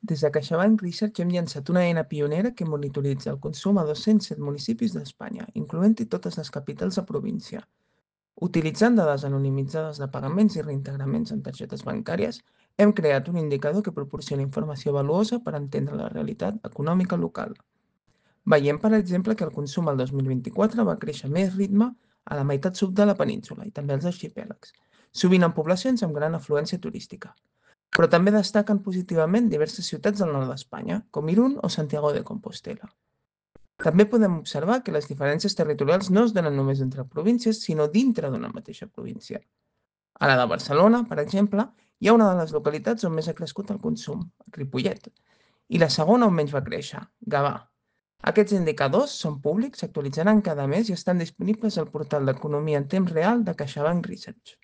Des de CaixaBank Research hem llançat una eina pionera que monitoritza el consum a 207 municipis d'Espanya, incloent-hi totes les capitals de província. Utilitzant dades anonimitzades de pagaments i reintegraments en targetes bancàries, hem creat un indicador que proporciona informació valuosa per entendre la realitat econòmica local. Veiem, per exemple, que el consum el 2024 va créixer a més ritme a la meitat sud de la península i també als arxipèlags, sovint en poblacions amb gran afluència turística. Però també destaquen positivament diverses ciutats del nord d'Espanya, com Irún o Santiago de Compostela. També podem observar que les diferències territorials no es donen només entre províncies, sinó dintre d'una mateixa província. A la de Barcelona, per exemple, hi ha una de les localitats on més ha crescut el consum, Ripollet, i la segona on menys va créixer, Gavà. Aquests indicadors són públics, s'actualitzaran cada mes i estan disponibles al portal d'Economia en temps real de CaixaBank Research.